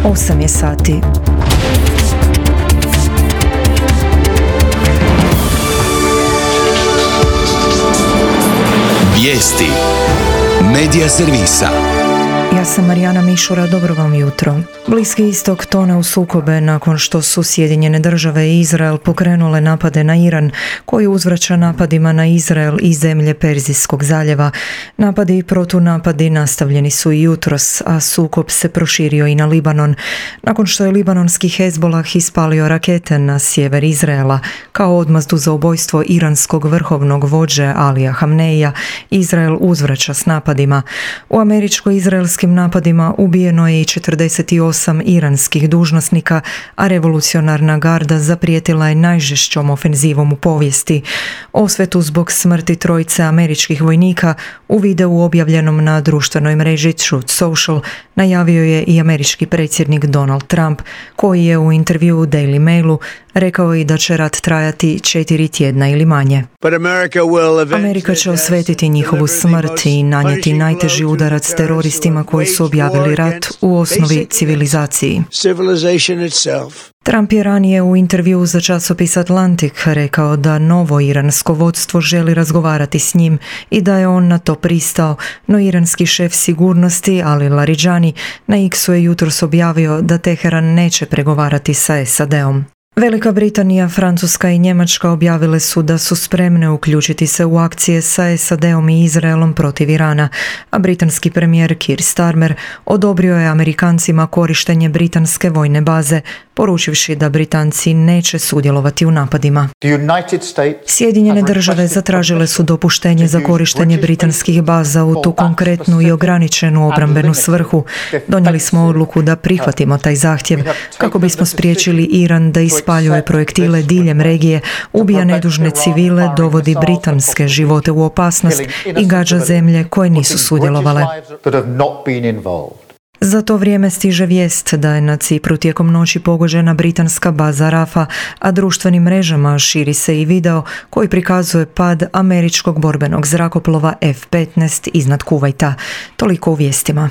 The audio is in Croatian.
8 je sati. Vijesti Medija servisa. Ja sam Marijana Mišura, dobro vam jutro. Bliski istok tone u sukobe nakon što su Sjedinjene države i Izrael pokrenule napade na Iran, koji uzvraća napadima na Izrael i zemlje Perzijskog zaljeva. Napadi i protunapadi nastavljeni su i jutros, a sukob se proširio i na Libanon, nakon što je libanonski Hezbolah ispalio rakete na sjever Izraela. Kao odmazdu za ubojstvo iranskog vrhovnog vođe Alija Hamneija, Izrael uzvraća s napadima. U američko-izraelskim napadima ubijeno je i 48 iranskih dužnosnika, a revolucionarna garda zaprijetila je najžešćom ofenzivom u povijesti. Osvetu zbog smrti trojice američkih vojnika u videu objavljenom na društvenoj mreži Truth Social najavio je i američki predsjednik Donald Trump, koji je u intervjuu u Daily Mailu rekao i da će rat trajati 4 tjedna ili manje. Amerika će osvetiti njihovu smrt i nanijeti najteži udarac teroristima koji su objavili rat, u osnovi civilizaciji. Trump je ranije u intervjuu za časopis Atlantic rekao da novo iransko vodstvo želi razgovarati s njim i da je on na to pristao, no iranski šef sigurnosti Ali Larijani na X-u je jutros objavio da Teheran neće pregovarati sa SAD-om. Velika Britanija, Francuska i Njemačka objavile su da su spremne uključiti se u akcije sa SAD-om i Izraelom protiv Irana, a britanski premijer Keir Starmer odobrio je Amerikancima korištenje britanske vojne baze, poručivši da Britanci neće sudjelovati u napadima. Sjedinjene države zatražile su dopuštenje za korištenje britanskih baza u tu konkretnu i ograničenu obrambenu svrhu. Donijeli smo odluku da prihvatimo taj zahtjev kako bismo spriječili Iran da ispaljuje projektile diljem regije, ubija nedužne civile, dovodi britanske živote u opasnost i gađa zemlje koje nisu sudjelovale. Za to vrijeme stiže vijest da je na Cipru tijekom noći pogođena britanska baza Rafa, a društvenim mrežama širi se i video koji prikazuje pad američkog borbenog zrakoplova F-15 iznad Kuvajta. Toliko u vijestima.